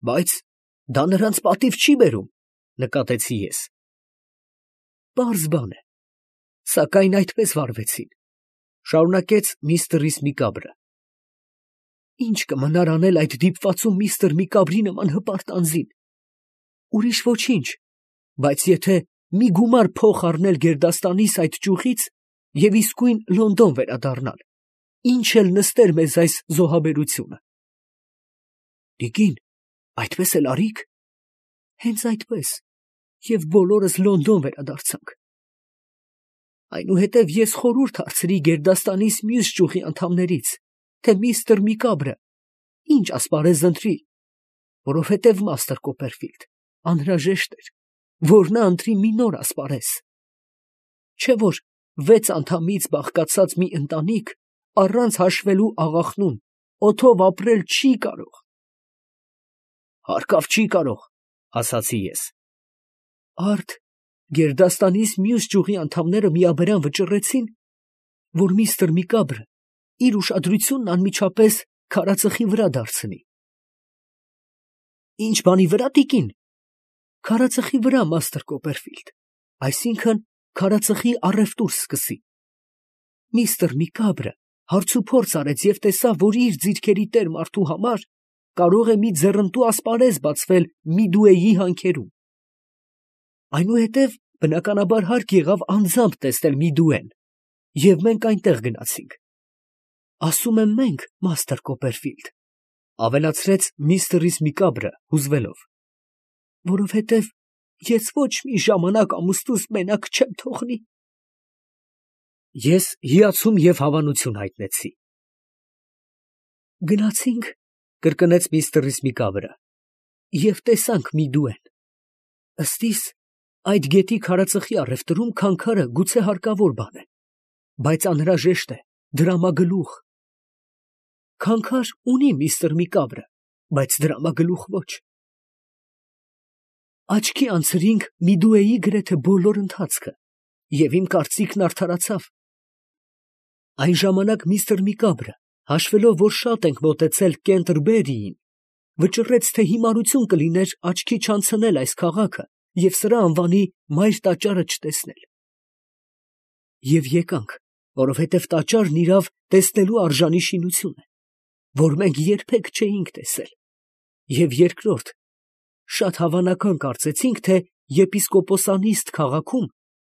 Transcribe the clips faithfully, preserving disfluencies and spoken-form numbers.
Բայց դա նրանց պատիվ չի բերում, նկատեցի ես։ Պարզ բան է, սակայն այդպես վարվեցին, շարունակեց միստր Միկաբրը։ Ինչ կմնար անել այդ դիպվածում միստր Միկաբրի նման հպարտ անձին։ Ուրիշ ոչինչ, բայց եթե մի գումար փող առնել գերդաստանիս այդ ճյուղից և իսկույն Լոնդոն վերադառնալ, ինչ էլ նստեր մեզ այս զոհաբերությունը։ Տիկին, այդպես էլ արի՞ք։ Հենց այդպես, և բոլորս Լոնդոն վերադարձանք։ Այնուհետև ես խորհուրդ հարցրի գերդաստանիս մյուս ճյուղի անդամներից, թե միստր Միկաբրը ինչ ասպարեզ ընտրի, որովհետև մաստր Կոպերֆիլդ անհրաժեշտ էր, որ նա ընտրի մի նոր ասպարեզ, չէ՞ որ վեց անդամից բաղկացած մի ընտանիք առանց հաշվելու աղախնուն օդով ապրել չի կարող։ Հարկավ չի կարող, ասացի ես։ Արդ գերդաստանիս մյուս ճյուղի անդամները միաբերան վճռեցին, որ միստր Միկաբրը իր ուշադրությունն անմիջապես քարածխի վրա դարձնի։ Ինչ բանի վրա, տիկին։ Քարածխի վրա, մաստր Կոպերֆիլդ, այսինքն քարածխի առևտուր սկսի։ Միստր Միկաբրը հարցուփորձ արեց և տեսավ, որ իր ձիրքերի տեր մարդու համար կարող է մի ձեռնտու ասպարեզ բացվել Միդուեի հանքերում։ Այնուհետև բնականաբար հարկ եղավ անձամբ տեսնել Միդուեն, և մենք այնտեղ գնացինք։ Ասում եմ մենք, մաստր Կոպերֆիլդ, ավելացրեց միստր Միկաբրը հուզվելով, որովհետև ես ոչ մի ժամանակ ամուսնուս մենակ չեմ թողնի։ Ես հիացում և հավանություն հայտնեցի։ Գնացինք, կրկնեց միստր Միկաբրը, և տեսանք Միդուեն։ Ըստիս, այդ գետի քարածխի առևտրում քանքարը գուցե հարկավոր բան է, բայց անհրաժեշտ է դրամագլուխ։ Քանքար ունի միստր Միկաբրը, բայց դրամագլուխ ոչ։ Աչքի անցրինք Միդուեի գրեթե բոլոր ընթացքը, և իմ կարծիքն արդարացավ։ Այն ժամանակ միստր Միկաբրը, հաշվելով, որ շատ ենք մոտեցել Կենտերբերիին, վճռեց, թե հիմարություն կլիներ աչքի չանցնել այս քաղաքը և սրա անվանի մայր տաճարը չտեսնել։ Եվ եկանք, որովհետև տաճարն իրավ տեսնելու արժանի շինություն է, որ մենք երբեք չէինք տեսել, և երկրորդ, շատ հավանական կարծեցինք, թե եպիսկոպոսանիստ քաղաքում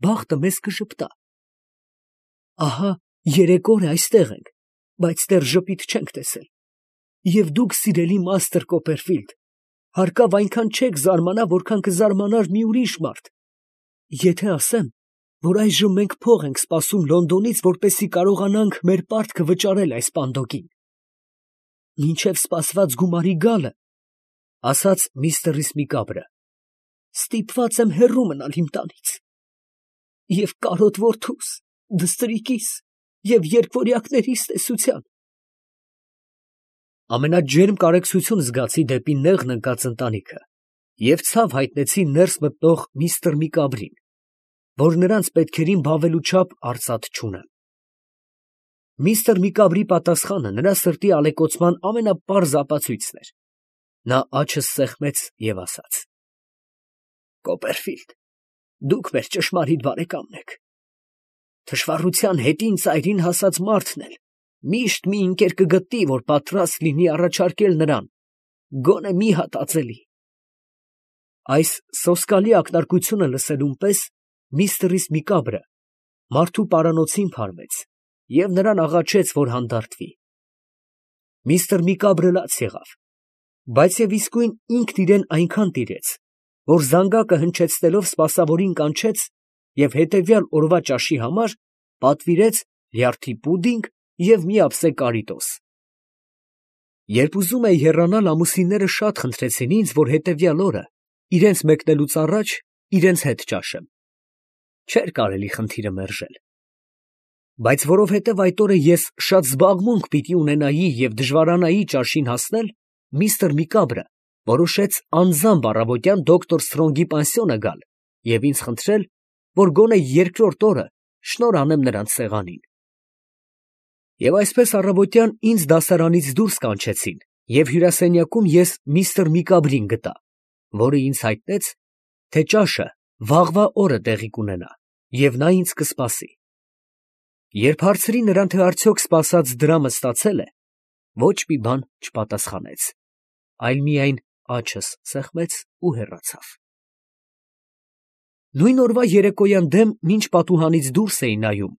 բախտը մեզ կժպտա։ Ահա երեք օր է այստեղ ենք, բայց դեռ ժպիտ չենք տեսել, և դուք, սիրելի մաստր Կոպերֆիլդ, հարկավ այնքան չեք զարմանա, որքան կզարմանար մի ուրիշ մարդ, եթե ասեմ, որ այժմ մենք փող ենք սպասում Լոնդոնից, որպեսզի կարողանանք մեր պարտքը վճարել այս պանդոկին։ Մինչև սպասված գումարի գալը, ասաց միստր Միկաբրը, ստիպված եմ հեռու մնալ իմ տանից, և կարոտ որդուս, դստրիկիս և երկվորյակներիս տեսության։ Ամենաջերմ կարեկցություն զգացի դեպի նեղն ընկած ընտանիքը և ցավ հայտնեցի ներս մտնող միստր Միկաբրին, որ նրանց պետքերին բավելու չափ արծաթ չունեմ։ Միստր Միկաբրի պատասխանը նրա սրտի ալեկոծման ամենապարզ ապացույցն էր։ Նա աչքս սեղմեց և ասաց. Կոպերֆիլդ, դուք մեր ճշմարիտ բարեկամն եք։ Թշվառության հետին ծայրին հասած մարդն էլ միշտ մի ընկեր կգտնի, որ պատրաստ լինի առաջարկել նրան գոնե մի հատ ածելի։ Այս սոսկալի ակնարկությունը լսելուն պես միստր Միկաբրը մարդու պարանոցին փարվեց և նրան աղաչեց, որ հանդարտվի։ Միստր Միկաբրը լաց եղավ, բայց և իսկույն ինքն իրեն այնքան տիրեց, որ զանգակը հնչեցնելով սպասավորին կանչեց և հետևյալ օրվա ճաշի համար պատվիրեց լյարդի պուդինգ և մի ափսե կարիտոս։ Երբ ուզում էի հեռանալ, ամուսինները շատ խնդրեցին ինձ, որ հետևյալ օրը, իրենց մեկնելուց առաջ, իրենց հետ ճաշեմ։ Չէր կարելի խնդիրը մերժել։ Բայց որովհետև այդ օրը ես շատ զբաղմունք պիտի ունենայի և դժվարանայի ճաշին հասնել, միստր Միկաբրը որոշեց անձամբ առավոտյան դոկտոր Սթրոնգի պանսիոնը գալ և ինձ խնդրել, որ գոնե երկրորդ օրը շնորհ անեմ նրանց սեղանին։ Եվ այսպես առավոտյան ինձ դասարանից դուրս կանչեցին Եվ հյուրասենյակում ես միստր Միկաբրին գտա, որը ինձ հայտնեց, թե ճաշը վաղվա օրը տեղի կունենա, և նա ինձ կսպասի։ Երբ հարցրի նրան, թե արդյոք սպասած դրամը ստացել է, ոչ մի բան չպատասխանեց, այլ միայն աչս սեղմեց ու հեռացավ։ Նույն օրվա երեկոյան դեմ, մինչ պատուհանից դուրս էի նայում,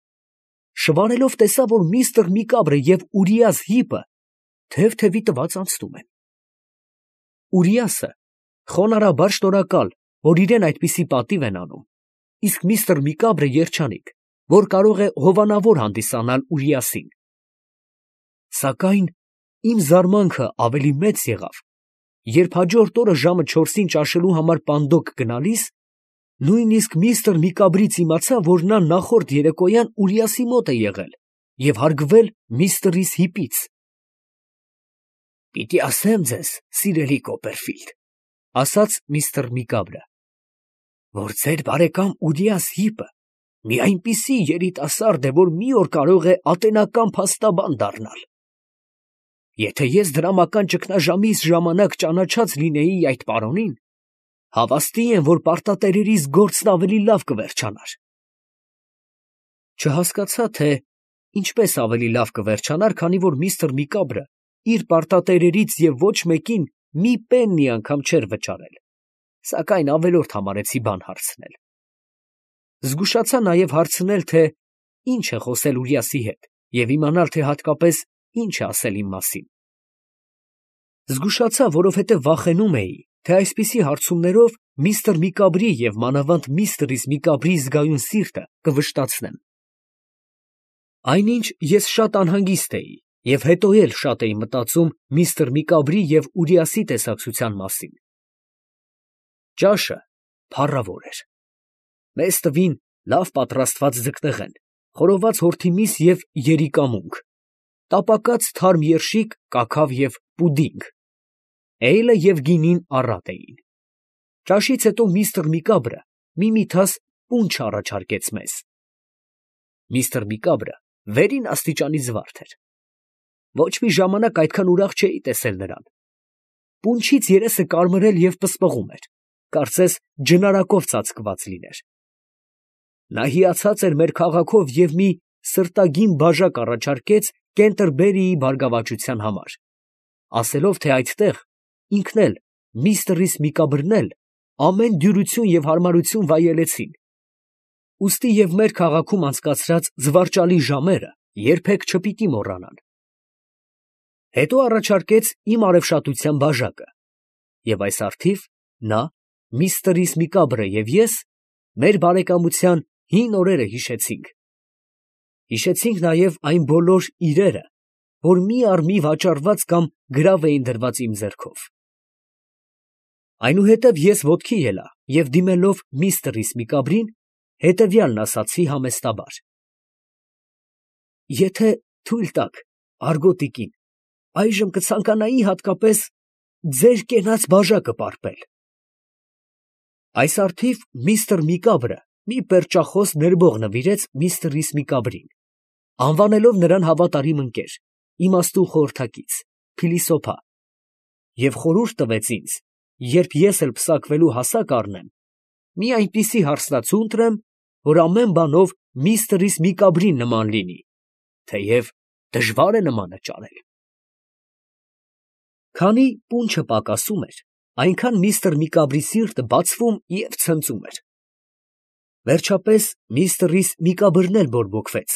շվարելով տեսա, որ միստր Միկաբրը և Ուրիաս Հիպը թև-թևի տված անցնում են։ Ուրիասը խոնարհաբար շնորհակալ, որ իրեն այդպիսի պատիվ են անում, իսկ միստր Միկաբրը երջանիկ, որ կարող է հովանավոր հանդիսանալ Ուրիասին։ Սակայն իմ զարմանքը ավելի մեծ եղավ, երբ հաջորդ օրը ժամը չորսին ճաշելու համար պանդոկ գնալիս, նույնիսկ միստր Միկաբրից իմացա, որ նա նախորդ երեկոյան Ուրիասի մոտ է եղել և հարգվել միստր Հիպից։ «Պիտի ասեմ ձեզ, սիրելի Կոպերֆիլդ, ֊ ասաց միստր Միկաբրը, ֊ որ ձեր բարեկամ Ուրիաս Հիպը մի այնպիսի երիտասարդ է, որ մի օր կարող է ատենական փաստաբան դառնալ։ Եթե ես դրամական ճգնաժամիս ժամանակ ճանաչած լինեի այդ պարոնին, հավաստի եմ, որ պարտատերերիս գործն ավելի լավ կվերջանար»։ Չհասկացա, թե ինչպես ավելի լավ կվերջանար, քանի որ միստր Միկաբրը իր պարտատերերից և ոչ մեկին մի պեննի անգամ չէր վճարել, սակայն ավելորդ համարեցի բան հարցնել։ Զգուշացա նաև հարցնել, թե ինչ է խոսել Ուրիասի հետ և իմանալ, թե հատկապես ինչ է ասել իմ մասին։ Զգուշացա, որովհետև վախենում էի, թե այսպիսի հարցումներով միստր Միկաբրի և մանավանդ միստր Միկաբրի զգայուն սիրտը կվշտացնեմ։ Այնինչ ես շատ անհանգիստ էի և հետո էլ շատ էի մտածում միստր Միկաբրի և Ուրիասի տեսակցության մասին։ Ճաշը փառավոր էր։ Մեզ տվին լավ պատրաստված ձկնեղեն, խորոված հորթի միս և երիկամունք, տապակած թարմ երշիկ, կաքավ և պուդինգ, էյլը և գինին առատ էին։ Ճաշից հետո միստր Միկաբրը մի միթաս պունչ առաջարկեց մեզ։ Միստր Միկաբրը վերին աստիճանի զվարթ էր։ Ոչ մի ժամանակ այդքան ուրախ չէի տեսել նրան։ Պունչից երեսը կարմրել և պսպղում էր, կարծես ջնարակով ծածկված լիներ։ Նա հիացած էր մեր քաղաքով և մի սրտագին բաժակ առաջարկեց Կենտերբերիի բարգավաճության համար, ասելով, թե այդտեղ ինքն էլ, միստր Միկաբրն էլ ամեն դյուրություն և հարմարություն վայելեցին, ուստի և մեր քաղաքում անցկացրած զվարճալի ժամերը երբեք չպիտի մոռանան։ Հետո առաջարկեց իմ արևշատության բաժակը, և այս առթիվ նա, միստր Միկաբրը և ես մեր բարեկամության հին օրերը հիշեցինք։ Հիշեցինք նաև այն բոլոր իրերը, որ մի առ մի վաճառված կամ գրավ էին դրված իմ ձեռքով։ Այնուհետև ես ոտքի ելա և դիմելով միստր Միկաբրին, հետևյալն ասացի համեստաբար. «Եթե թույլ տաք, Արգոտիկին, այժմ կցանկանայի հատկապես ձեր կենաց բաժակը պարպել»։ Այս առթիվ միստր Միկաբրը մի պերճախոս ներբող նվիրեց միստր Միկաբրին, անվանելով նրան հավատարիմ ընկեր, իմաստուն խորհրդակից, փիլիսոփա, և խորհուրդ տվեց ինձ, երբ ես էլ պսակվելու հասակ առնեմ, մի այնպիսի հարսնացու ընտրեմ, որ ամեն բանով միստր Միկաբրին նման լինի, թեև դժվար է նմանը ճարել։ Քանի պունչը պակասում էր, այնքան միստր Միկաբրի սիրտը բացվում և ցնծում էր։ Վերջապես միստր Միկաբրն էլ բորբոքվեց,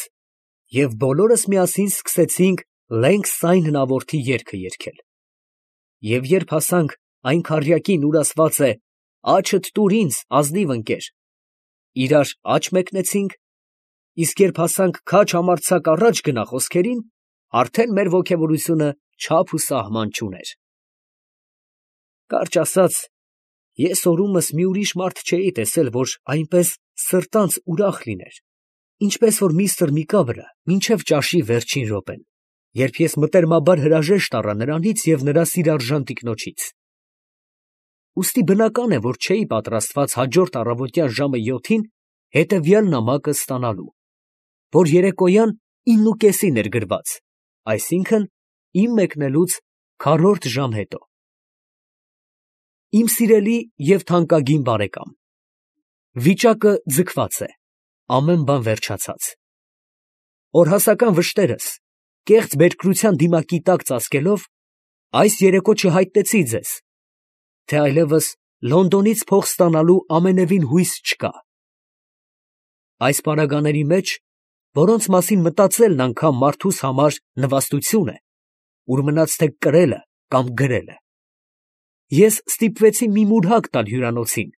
և բոլորս միասին սկսեցինք «Լենգ Սայն հնավորդի» երգը երգել։ Եվ երբ հասանք այն քառյակին, ուր ասված է «Աջդ տուր ինձ, ազնիվ ընկեր», իրար աջ մեկնեցինք, իսկ երբ հասանք «Քաջ համարձակ առաջ գնա» խոսքերին, արդեն մեր ոգևորությունը չափ ու սահման չուներ։ Կարճ ասած, ես օրումս մի ուրիշ մարդ չէի տեսել, որ այնպես սրտանց ուրախ լիներ, ինչպես որ միստր Միկաբրը մինչև ճաշի վերջին րոպեն, երբ ես մտերմաբար հրաժեշտ առա նրանից և նրա սիրարժան տիկնոջից։ Ուստի բնական է, որ չէի պատրաստված հաջորդ առավոտյան ժամը յոթին հետևյալ նամակը ստանալու, որ երեկոյան ինն ու կեսին էր գրված, այսինքն՝ իմ մեկնելուց քառորդ ժամ հետո։ Իմ սիրելի և թանկագին բարեկամ, վիճակը ձգված է, ամեն բան վերջացած։ Օրհասական վշտերս, կեղծ բերկրության դիմակի տակ ծածկելով, այս երեկո չհայտնեցի ձեզ, թե այլևս Լոնդոնից փող ստանալու ամենևին հույս չկա։ Այս պարագաների մեջ, որոնց մասին մտածելն անգամ մարդուս համար նվաստություն է, ուր մնաց թե կրելը կամ գրելը, ես ստիպվեցի մի մուրհակ տալ հյուրանոցին,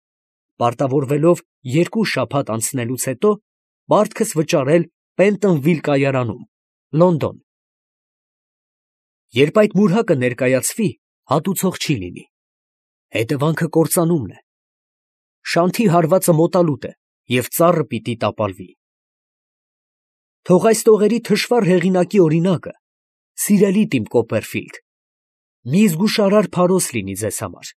պարտավորվելով երկու շաբաթ անցնելուց հետո պարտքս վճարել Պենտոնվիլ կայարանում, Լոնդոն։ Երբ այդ մուրհակը ներկայացվի, հատուցող չի լինի, հետևանքը կործանումն է, շանթի հարվածը մոտալուտ է և ծառը պիտի տապալվի։ Թող այս տողերի թշվառ հեղինակի օրինակը, սիրելի Տիմ Կոպերֆիլդ, մի զգուշարար փարոս լինի ձեզ համար։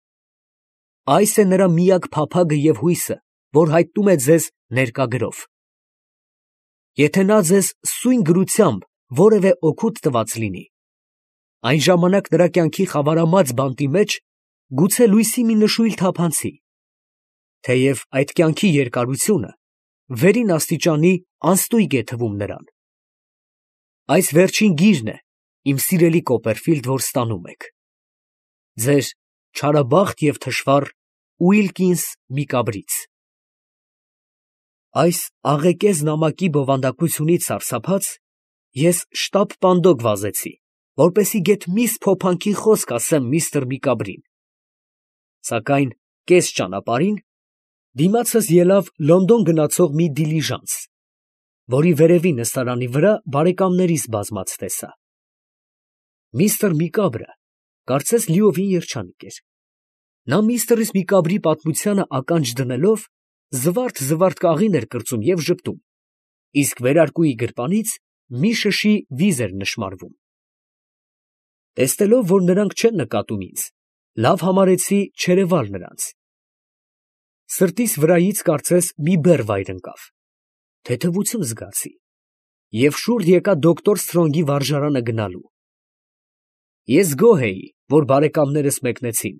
Այս է նրա միակ փափագը և հույսը, որ հայտնում է ձեզ ներկա գրով։ Եթե նա ձեզ սույն գրությամբ որևէ օգուտ տված լինի, այն ժամանակ նրա կյանքի խավարամած բանտի մեջ գուցե լույսի մի նշույլ թափանցի, թեև այդ կյանքի երկարությունը վերին աստիճանի անստույգ է թվում նրան։ Այս վերջին գիրն է, իմ սիրելի Կոպերֆիլդ, որ ստանում եք։ Ձեր չարաբախտ և թշվառ Ուիլկինս Միկաբրից։ Այս աղեկեզ նամակի բովանդակությունից սարսափած, ես շտապ պանդոկ վազեցի, որպեսզի գեթ միս փոփանքի խոսք ասեմ միստր Միկաբրին, սակայն կես ճանապարհին դիմացս ելավ Լոնդոն գնացող մի դիլիժանս, որի վերևի նստարանի վրա բարեկամներիս բազմած տեսա։ Միստր Միկաբրը կարծես լիովին երջանիկ էր. նա միստր Միկաբրի պատմությանը ականջ դնելով, զվարթ֊զվարթ կաղին էր կրծում և ժպտում, իսկ վերարկուի գրպանից մի շշի վիզ էր նշմարվում։ Տեսնելով, որ նրանք չեն նկատում ինձ, լավ համարեցի չերևալ նրանց։ Սրտիս վրայից կարծես մի բեռ վայր ընկավ, թեթևություն զգացի և շուռ եկա դոկտոր Սթրոնգի վարժարանը գնալու։ Ես գոհ էի, որ բարեկամներս մեկնեցին,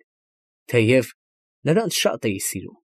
թեև նրանց շատ էի սիրում։